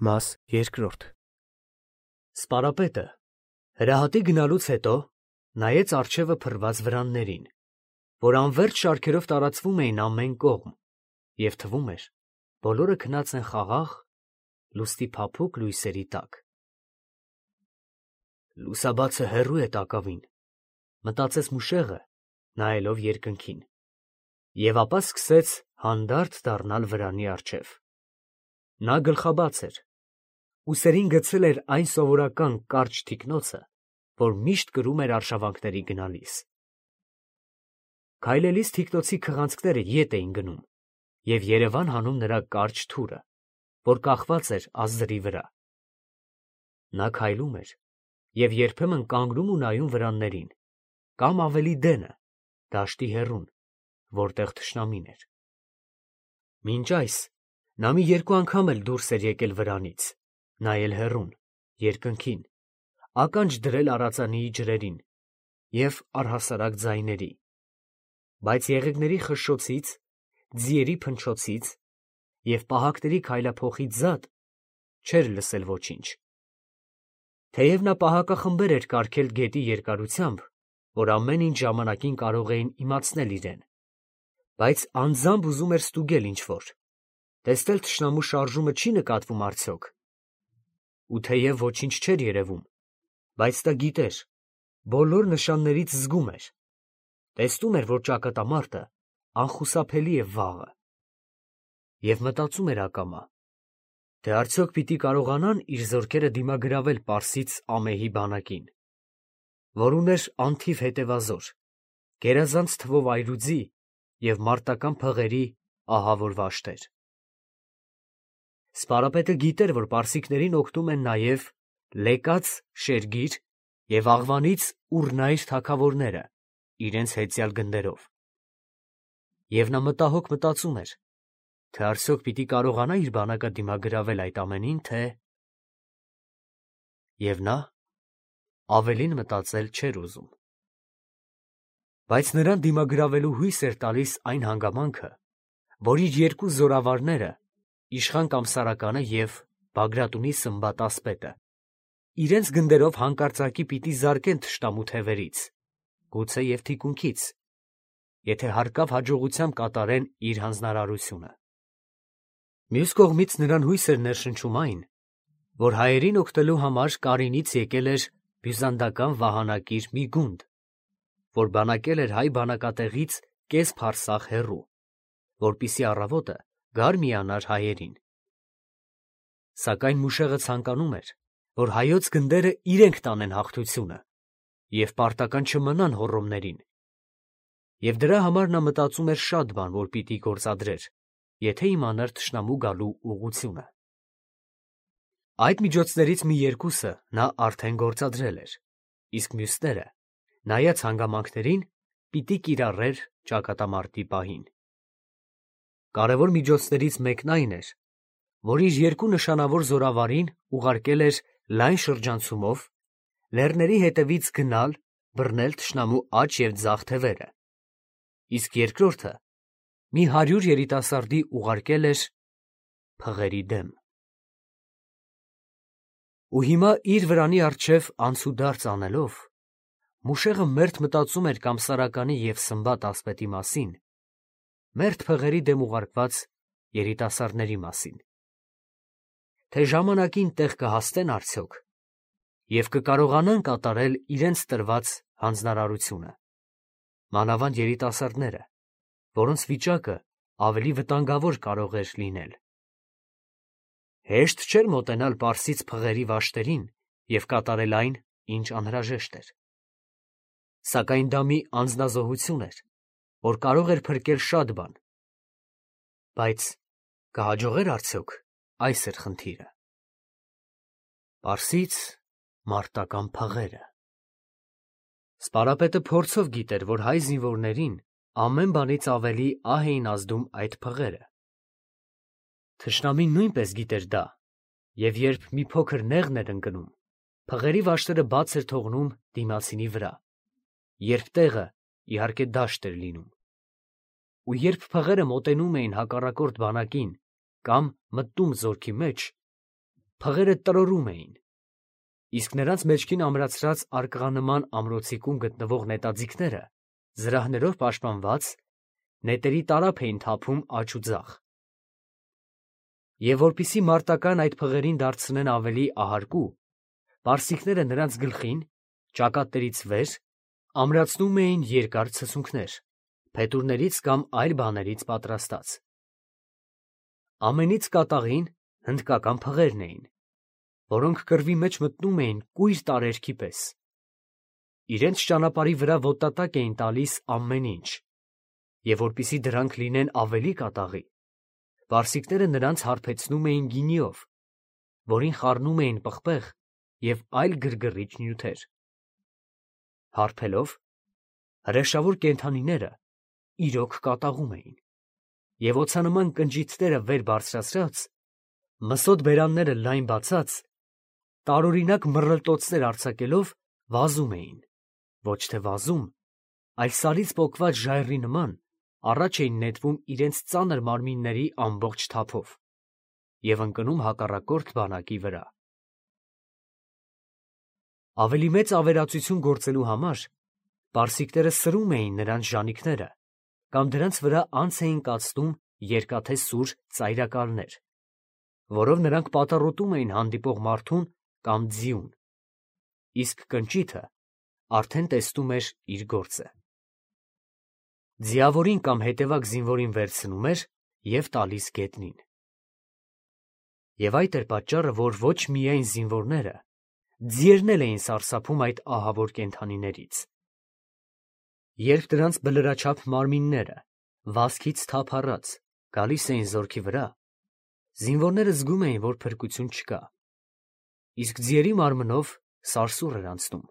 Մաս երկրորդ Սպարապետը հրահատի գնալուց հետո նայեց առջևը փռված վրաններին, որ անվերջ շարքերով տարածվում էին ամեն կողմ, և թվում էր, բոլորը քնած են խաղաղ, լուսնի փափուկ լույսերի տակ։ Լուսաբացը հեռու է տակավին, մտածեց մուշեղը, նայելով երկնքին, և ապա սկսեց հանդարտ դառնալ վրանի առջև։ Նա գլխաբաց էր, ուսերին գցել էր այն սովորական կարճ թիկնոցը, որ միշտ կրում էր արշավանքների գնալիս։ Քայլելիս թիկնոցի քղանցքները ետ էին գնում և երևան հանում նրա կարճ թուրը, որ կախված էր ազդրի վրա։ Նա քայլում էր և երբեմն կանգնում ու նայում վրաններին, կամ ավելի դենը, դաշտի հեռուն, որտեղ թշնամին էր։ Մինչ այս նա մի երկու անգամ էլ դուրս էր եկել վրանից, նայել հեռուն, երկնքին, ականջ դրել արձանիի ջրերին և առհասարակ ձայների, բայց եղեգների խշշոցից, ձիերի փնչոցից և պահակների քայլափոխից զատ չէր լսել ոչինչ։ Թեև նա պահակախմբեր էր կարգել գետի երկարությամբ, որ ամեն ինչ ժամանակին կարող էին իմացնել իրեն, բայց անձամբ ուզում էր ստուգել ինչ֊որ, տեսնել թշնամու շարժումը չի նկատվում արդյոք, ու թեև ոչինչ չէր երևում, բայց նա գիտեր, բոլոր նշաններից զգում էր, տեսնում էր, որ ճակատամարտը անխուսափելի է վաղը, և մտածում էր ակամա, թե արդյոք պիտի կարողանան իր զորքերը դիմագրավել պարսից ամեհի բանակին, որ ուներ անթիվ հետևազոր, գերազանց թվով այրուձի և մարտական փղերի ահավոր վաշտեր։ Սպարապետը գիտեր, որ պարսիկներին օգնում են նաև Լեկաց, Շերգիր և Աղվանից Ուռնայր թագավորները իրենց հեծյալ գնդերով, և նա մտահոգ մտածում էր, թե արդյոք պիտի կարողանա իր բանակը դիմագրավել այդ ամենին, թե… Եվ նա ավելին մտածել չէր ուզում։ Բայց նրան դիմագրավելու հույս էր տալիս այն հանգամանքը, որ իր երկու զորավարները՝ իշխան Կամսարականը և Բագրատունի Սմբատ ասպետը, իրենց գնդերով հանկարծակի պիտի զարկեն թշնամու թևերից, գուցե և թիկունքից, եթե հարկավ հաջողությամբ կատարեն իր հանձնարարությունը։ Մյուս կողմից նրան հույս էր ներշնչում այն, որ հայերին օգնելու համար Կարինից եկել էր բյուզանդական վահանակիր մի գունդ, որ բանակել էր հայ բանակատեղից կես փարսաղ հեռու, որպեսզի առավոտը գար միանար հայերին։ Սակայն մուշեղը ցանկանում էր, որ հայոց գնդերը իրենք տանեն հաղթությունը և պարտական չմնան հոռոմներին, և դրա համար նա մտածում էր շատ բան, որ պիտի գործադրեր, եթե իմանար թշնամու գալու ուղղությունը։ Այդ միջոցներից մի երկուսը նա արդեն գործադրել էր, իսկ մյուսները, նայած հանգամանքներին, պիտի կիրառեր ճակատամարտի պահին։ Կարևոր միջոցներից մեկն այն էր, որ իր երկու նշանավոր զորավարին ուղարկել էր լայն շրջանցումով լեռների հետևից գնալ բռնել թշնամու աջ և ձախ թևերը, իսկ երկրորդը մի 100 երիտասարդի ուղարկել էր փղերի դեմ։ Ու հիմա իր վրանի առջև անցուդարձ անելով, մուշեղը մերթ մտածում էր Կամսարականի և Սմբատ ասպետի մասին, մերթ փղերի դեմ ուղարկված երիտասարդների մասին, թե ժամանակին տեղ կհասնեն արդյոք և կկարողանան կատարել իրենց տրված հանձնարարությունը, մանավանդ երիտասարդները, որոնց վիճակը ավելի վտանգավոր կարող էր լինել։ Հեշտ չէր մոտենալ պարսից փղերի վաշտերին և կատարել այն, ինչ անհրաժեշտ էր։ Սակայն դա մի անձնազոհություն էր, որ կարող էր փրկել շատ բան։ Բայց կհաջողե՞ր արդյոք, այս էր խնդիրը։ Պարսից մարտական փղերը… Սպարապետը փորձով գիտեր, որ հայ զինվորներին ամեն բանից ավելի ահ էին ազդում այդ փղերը։ Թշնամին նույնպես գիտեր դա, և երբ մի փոքր նեղն էր ընկնում, փղերի վաշտերը բաց էր թողնում դիմացինի վրա, երբ տեղը, իհարկե, դաշտ էր լինում։ Ու երբ փղերը մոտենում էին հակառակորդ բանակին կամ մտնում զորքի մեջ, փղերը տրորում էին, իսկ նրանց մեջքին ամրացրած արկղանման ամրոցիկում գտնվող նետաձիգները, զրահներով պաշտպանված, նետերի տարափ էին թափում աջ ու ձախ։ Եվ որպիսի մարտական այդ փղերին դարձնեն ավելի ահարկու, պարսիկները նրանց գլխին, ճակատներից վեր, ամրացնում էին երկար ցցունքներ, փետուրներից կամ այլ բաներից պատրաստած։ Ամենից կատաղին հնդկական փղերն էին, որոնք կռվի մեջ մտնում էին կույր տարերքի պես։ Իրենց ճանապարհի վրա ոտատակ էին տալիս ամեն ինչ, և որպեսզի դրանք լինեն ավելի կատաղի, պարսիկները նրանց հարբեցնում էին գինիով, որին խառնում էին պղպեղ և այլ գրգռիչ նյութեր։ Հարբելով, հրեշավոր կենդանիները իրոք կատաղում էին, և օձանման կնճիթները վեր բարձրացրած, մսոտ բերանները լայն բացած, տարօրինակ մռլտոցներ արձակելով վազում էին, ոչ թե վազում, այլ սարից պոկված ժայռի նման առաջ էին նետվում իրենց ծանր մարմինների ամբողջ թափով և ընկնում հակառակորդ բանակի վրա։ Ավելի մեծ ավերածություն գործելու համար պարսիկները սրում էին նրանց ժանիքները կամ դրանց վրա անց էին կացնում երկաթե սուր ծայրակալներ, որով նրանք պատառոտում էին հանդիպող մարդուն կամ ձիուն, իսկ կնճիթը արդեն տեսնում էր իր գործը։ Ձիավորին կամ հետևակ զինվորին վերցնում էր և տալիս գետնին։ Եվ այդ էր պատճառը, որ ոչ միայն զինվորները, ձիերն էլ էին սարսափում այդ ահավոր կենդանիներից։ Երբ դրանց բլրաչափ մարմինները, վազքից թափ առած, գալիս էին զորքի վրա, զինվորները զգում էին, որ փրկություն չկա, իսկ ձիերի մարմնով սարսուռ էր անցնում։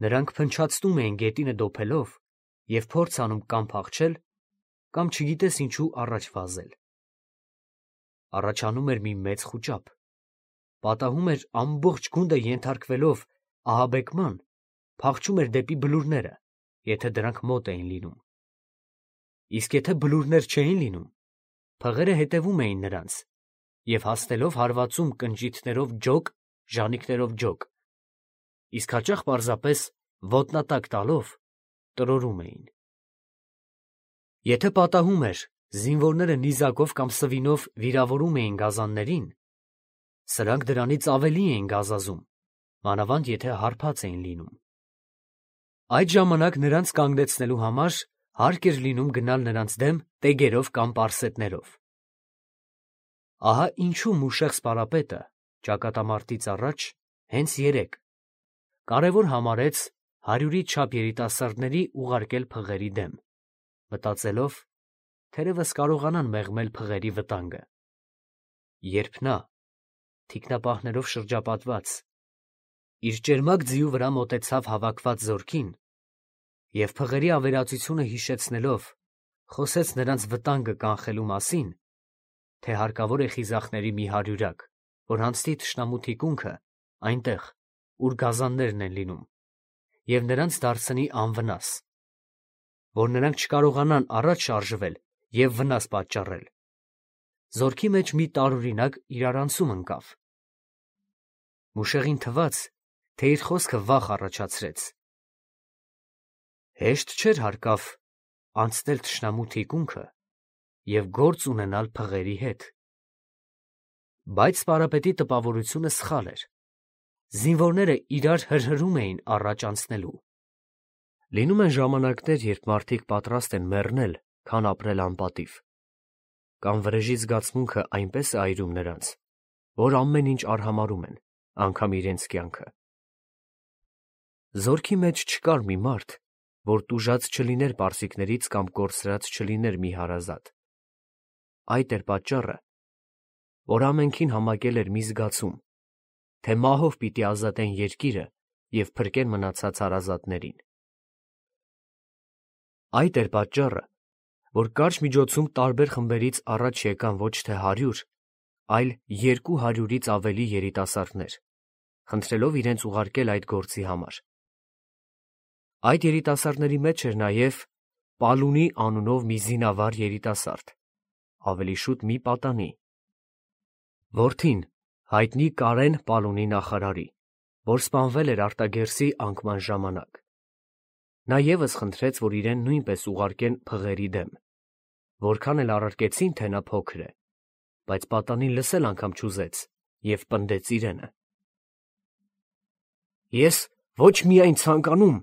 Նրանք փնչացնում էին գետինը դոփելով և փորձ անում կամ փախչել, կամ չգիտես ինչու առաջ վազել։ Առաջանում էր մի մեծ խուճապ, պատահում էր ամբողջ գունդը ենթարկվելով ահաբեկման, փախչում էր դեպի բլուրները, եթե դրանք մոտ էին լինում։ Իսկ եթե բլուրներ չէին լինում, փղերը հետևում էին նրանց և հասնելով հարվածում կնճիթներով ջոկ, ժանիքներով ջոկ, իսկ հաճախ պարզապես ոտնատակ տալով տրորում էին։ Եթե պատահում էր, զինվորները նիզակով կամ սվինով վիրավորում էին գազաններին, սրանք դրանից ավելի էին գազազում, մանավանդ եթե հարբած էին լինում։ Այդ ժամանակ նրանց կանգնեցնելու համար հարկ էր լինում գնալ նրանց դեմ տեգերով կամ պարսետներով։ Ահա ինչու Մուշեղ սպարապետը ճակատամարտից առաջ հենց երեկ կարևոր համարեց 100-ից չափ երիտասարդների ուղարկել փղերի դեմ, մտածելով, թերևս կարողանան մեղմել փղերի վտանգը, երբ նա, թիկնապահներով շրջապատված, իր ճերմակ ձիու վրա մոտեցավ հավաքված զորքին և փղերի ավերածությունը հիշեցնելով, խոսեց նրանց վտանգը կանխելու մասին, թե հարկավոր է խիզախների մի հարյուրակ, որ հանձնի թշնամու թիկունքը այնտեղ, ուր գազաններն են լինում, և նրանց դարձնի անվնաս, որ նրանք չկարողանան առաջ շարժվել և վնաս պատճառել, զորքի մեջ մի տարօրինակ իրարանցում ընկավ։ Մուշեղին թվաց, թե իր խոսքը վախ առաջացրեց։ Հեշտ չէր հարկավ անցնել թշնամու թիկունքը և գործ ունենալ փղերի հետ։ Բայց սպարապետի տպավորությունը սխալ էր։ Զինվորները իրար հրհրում էին առաջ անցնելու։ Լինում են ժամանակներ, երբ մարդիկ պատրաստ են մեռնել, քան ապրել անպատիվ, կամ վրեժի զգացմունքը այնպես է այրում նրանց, որ ամեն ինչ արհամարհում են, անգամ իրենց կյանքը։ Զորքի մեջ չկար մի մարդ, որ տուժած չլիներ պարսիկներից կամ կորսրած չլիներ մի հարազատ։ Այդ էր պատճառը, որ ամենքին համակել էր մի զգացում, թե մահով պիտի ազատեն երկիրը և փրկեն մնացած հարազատներին։ Այդ էր պատճառը, որ կարճ միջոցում տարբեր խմբերից առաջ եկան ոչ թե 100, այլ 200-ից ավելի երիտասարդներ, խնդրելով իրենց ուղարկել այդ գործի համար։ Այդ երիտասարդների մեջ էր նաև Պալունի անունով մի զինավար երիտասարդ, ավելի շուտ մի պատանի։ Որդին Հայտնի Կարեն Պալունի նախարարի, որ սպանվել էր Արտագերսի անկման ժամանակ։ Նա ևս խնդրեց, որ իրեն նույնպես ուղարկեն փղերի դեմ, որքան էլ առարկեցին, թե նա փոքր է, բայց պատանին լսել անգամ չուզեց և պնդեց իրենը։ Ես ոչ միայն ցանկանում,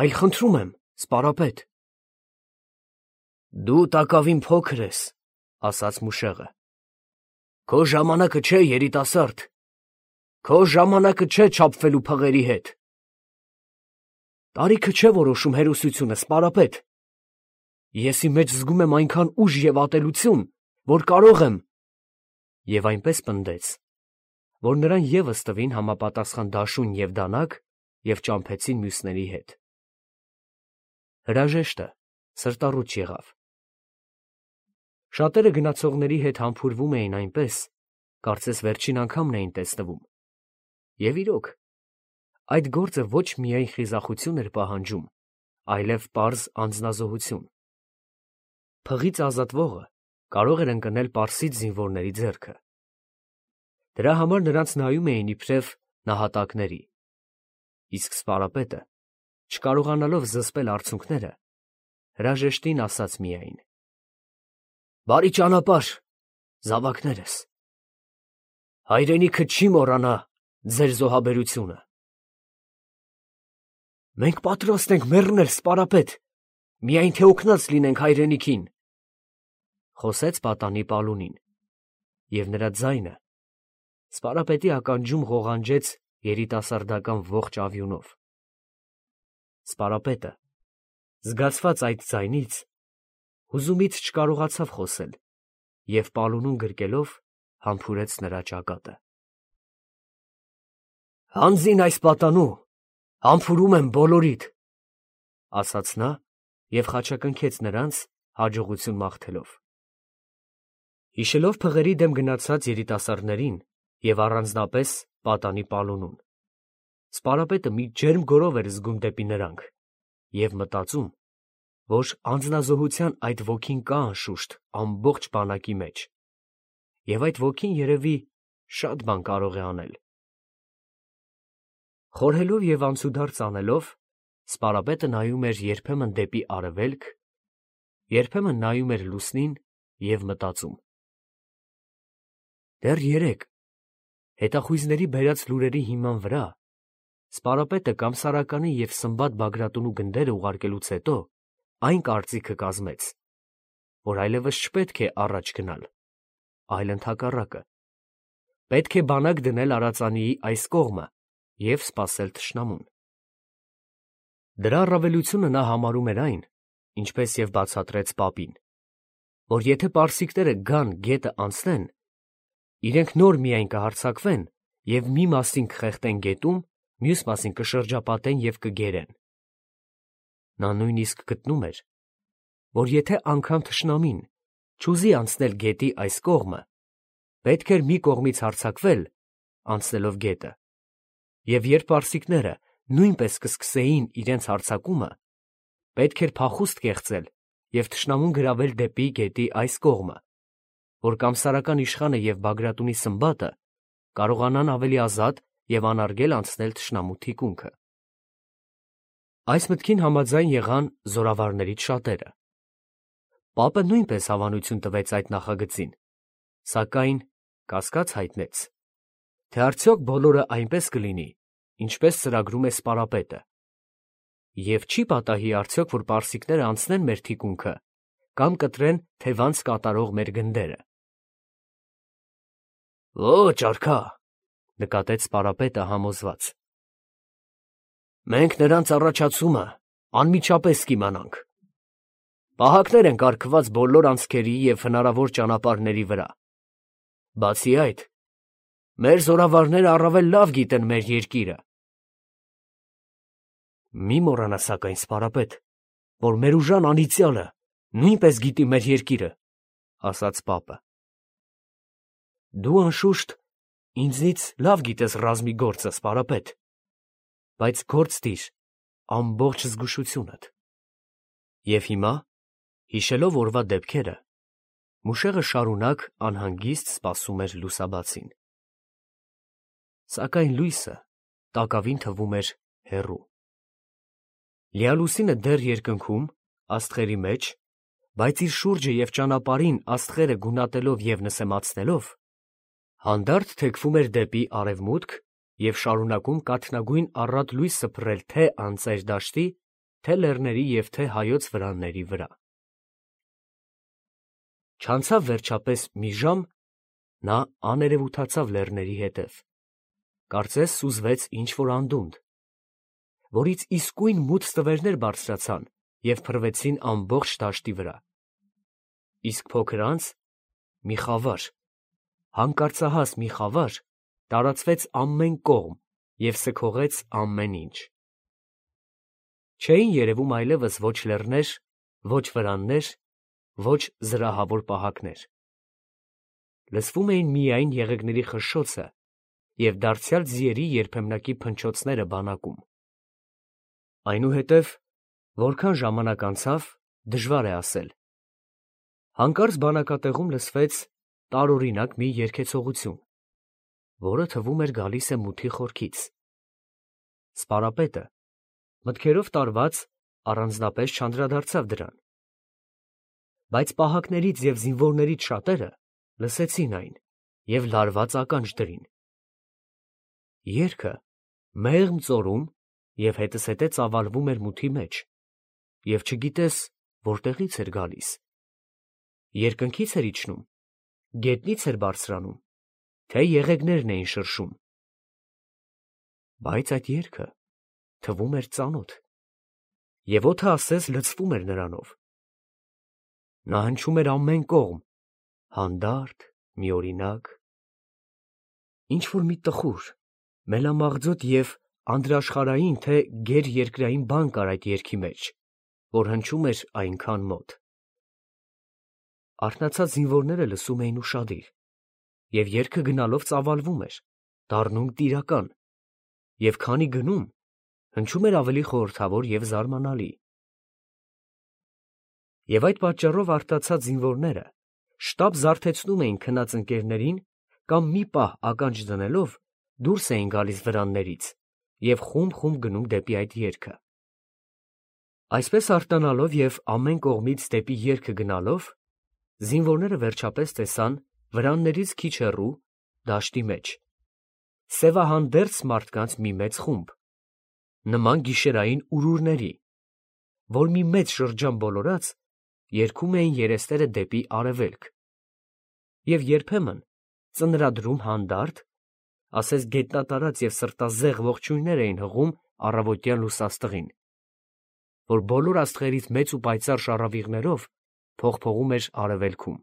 այլ խնդրում եմ, սպարապետ։ Դու տակավին փոքր ես, ասաց մուշեղը։ Քո ժամանակը չէ, երիտասարդ, քո ժամանակը չէ չափվելու փղերի հետ։ Տարիքը չէ որոշում հերոսությունը, սպարապետ։ Ես իմ մեջ զգում եմ այնքան ուժ և ատելություն, որ կարող եմ… Եվ այնպես պնդեց, որ նրան ևս տվին համապատասխան դաշույն և դանակ և ճամփեցին մյուսների հետ։ Հրաժեշտը սրտառուչ եղավ։ Շատերը գնացողների հետ համբուրվում էին այնպես, կարծես վերջին անգամն էին տեսնվում։ Եվ իրոք, այդ գործը ոչ միայն խիզախություն էր պահանջում, այլև պարզ անձնազոհություն։ Փղից ազատվողը կարող էր ընկնել պարսից զինվորների ձեռքը։ Դրա համար նրանց նայում էին իբրև նահատակների, իսկ սպարապետը, չկարողանալով զսպել արցունքները, հրաժեշտին ասաց միայն. Բարի ճանապարհ, զավակներս, հայրենիքը չի մոռանա ձեր զոհաբերությունը։ Մենք պատրաստ ենք մեռնել, սպարապետ, միայն թե օգնած լինենք հայրենիքին, խոսեց պատանի Պալունին, և նրա ձայնը սպարապետի ականջում ղողանջեց երիտասարդական ողջ ավյունով։ Սպարապետը, զգացված այդ ձայնից, հուզումից չկարողացավ խոսել և Պալունուն գրկելով համբուրեց նրա ճակատը։ Հանձին այս պատանու, համբուրում եմ բոլորիդ, ասաց նա և խաչակնքեց նրանց, հաջողություն մաղթելով։ Հիշելով փղերի դեմ գնացած երիտասարդներին և առանձնապես պատանի Պալունուն, սպարապետը մի ջերմ գոռով էր զգում դեպի նրանք և մտածում, որ անձնազոհության այդ ոգին կա անշուշտ ամբողջ բանակի մեջ, և այդ ոգին երևի շատ բան կարող է անել։ Խորհելով և անցուդարձ անելով, սպարապետը նայում էր երբեմն դեպի արևելք, երբեմն նայում էր լուսնին և մտածում. դեռ երեկ, հետախույզների բերած լուրերի հիման վրա, սպարապետը կամ Սարականի և Սմբատ Բագրատունու գնդերը ուղարկելուց հետո այն կարծիքը կազմեց, որ այլևս չպետք է առաջ գնալ, այլ ընդհակառակը, պետք է բանակ դնել Արածանիի այս կողմը և սպասել թշնամուն։ Դրա առավելությունը նա համարում էր այն, ինչպես և բացատրեց պապին, որ եթե պարսիկները գան գետը անցնեն, իրենք նոր միայն կհարձակվեն և մի մասին կխեղդեն գետում, մյուս մասին կշրջապատեն և կգերեն։ Նա նույնիսկ գտնում էր, որ եթե անգամ թշնամին չուզի անցնել գետի այս կողմը, պետք էր մի կողմից հարձակվել, անցնելով գետը, և երբ պարսիկները նույնպես կսկսեին իրենց հարձակումը, պետք էր փախուստ կեղծել և թշնամուն գրավել դեպի գետի այս կողմը, որ կամսարական իշխանը և Բագրատունի Սմբատը կարողանան ավելի ազատ և անարգել անցնել թշնամու թիկունքը։ Այս մտքին համաձայն եղան զորավարներից շատերը։ Պապը նույնպես հավանություն տվեց այդ նախագծին, սակայն կասկած հայտնեց, թե արդյոք բոլորը այնպես կլինի, ինչպես ծրագրում է սպարապետը, և չի պատահի արդյոք, որ պարսիկները անցնեն մեր թիկունքը կամ կտրեն թևանց կատարող մեր գնդերը։ Ոչ, արքա, նկատեց սպարապետը համոզված։ Մենք նրանց առաջացումը անմիջապես կիմանանք։ Պահակներ են կարգված բոլոր անցքերի և հնարավոր ճանապարհների վրա։ Բացի այդ, մեր զորավարները առավել լավ գիտեն մեր երկիրը։ Մի մոռանա սակայն, սպարապետ, որ մեր ուժան անիծյալը նույնպես գիտի մեր երկիրը, ասաց պապը։ Դու անշուշտ ինձնից լավ գիտես ռազմի գործը, սպարապետ, բայց գործ դիր ամբողջ զգուշությունդ։ Եվ հիմա, հիշելով օրվա դեպքերը, մուշեղը շարունակ անհանգիստ սպասում էր լուսաբացին։ Սակայն լույսը տակավին թվում էր հեռու։ Լիալուսինը դեռ երկնքում, աստղերի մեջ, բայց իր շուրջը և ճանապարհին աստղերը գունատելով և նսեմացնելով, հանդարտ թեքվում էր դեպի արևմուտք և շարունակում կաթնագույն առատ լույս սփռել թե անծեր դաշտի, թե լեռների և թե հայոց վրանների վրա։ Չանցավ վերջապես մի ժամ, նա աներևութացավ լեռների հետև, կարծես սուզվեց ինչ-որ անդունդ, որից իսկույն մութ ստվերներ բարձրացան և փռվեցին ամբողջ դաշտի վրա, իսկ փոքր անց մի խավար, հանկարծահաս մի խավար տարածվեց ամեն կողմ և սքողեց ամեն ինչ։ Չէին երևում այլևս ոչ լեռներ, ոչ վրաններ, ոչ զրահավոր պահակներ. լսվում էին միայն եղեգների խշշոցը և դարձյալ ձիերի երբեմնակի փնչոցները բանակում։ Այնուհետև, որքան ժամանակ անցավ, դժվար է ասել, հանկարծ բանակատեղում լսվեց տարօրինակ մի երգեցողություն, որը թվում էր գալիս է մութի խորքից։ Սպարապետը, մտքերով տարված, առանձնապես չանդրադարձավ դրան, բայց պահակներից և զինվորներից շատերը լսեցին այն և լարված ականջ դրին։ Երգը մեղմ ծորում և հետզհետե ծավալվում էր մութի մեջ, և չգիտես որտեղից էր գալիս, երկնքից էր իջնում, գետնից էր բարձրանում, թե եղեգներն էին շրշում, բայց այդ երգը թվում էր ծանոթ, և օդը ասես լցվում էր նրանով։ Նա հնչում էր ամեն կողմ, հանդարտ, միօրինակ, ինչ֊որ մի տխուր, մելամաղձոտ և անդրաշխարհային թե գերերկրային բան կար այդ երգի մեջ, որ հնչում էր այնքան մոտ։ Արթնացած զինվորները լսում էին ուշադիր, և երգը գնալով ծավալվում էր, դառնում տիրական, և քանի գնում, հնչում էր ավելի խորհրդավոր և զարմանալի։ Եվ այդ պատճառով արտացած զինվորները շտապ զարթեցնում էին քնած ընկերներին կամ մի պահ ականջ դնելով դուրս էին գալիս վրաններից և խումբ գնում դեպի այդ երգը։ Այսպես արտանալով և ամեն կողմից դեպի երգը գնալով, զինվորները վերջապես տեսան վրաններից քիչ հեռու, դաշտի մեջ, սևահանդերձ մարդկանց մի մեծ խումբ, նման գիշերային ուրուրների, որ մի մեծ շրջան բոլորած, երգում էին երեսները դեպի արևելք և երբեմն ծնրադրում հանդարտ, ասես գետնատարած և սրտազեղ ողջույններ էին հղում առավոտյան լուսաստղին, որ բոլոր աստղերից մեծ ու պայծառ շառավիղներով փողփողում էր արևելքում։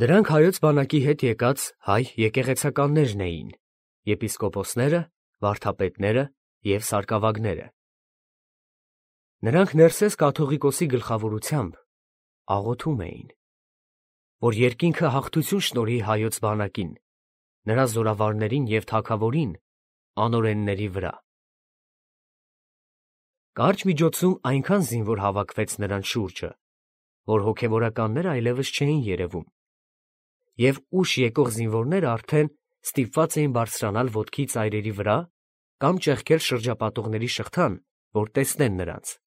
Դրանք հայոց բանակի հետ եկած հայ եկեղեցականներն էին, եպիսկոպոսները, վարդապետները և սարկավագները։ Նրանք Ներսես կաթողիկոսի գլխավորությամբ աղոթում էին, որ երկինքը հաղթություն շնորհի հայոց բանակին, նրա զորավարներին և թագավորին անօրենների վրա։ Կարճ միջոցում այնքան զինվոր հավաքվեց նրանց շուրջը, որ հոգևորականները այլևս չէին երևում, և ուշ եկող զինվորները արդեն ստիպված էին բարձրանալ ոտքի ծայրերի վրա կամ ճեղքել շրջապատողների շղթան, որ տեսնեն նրանց։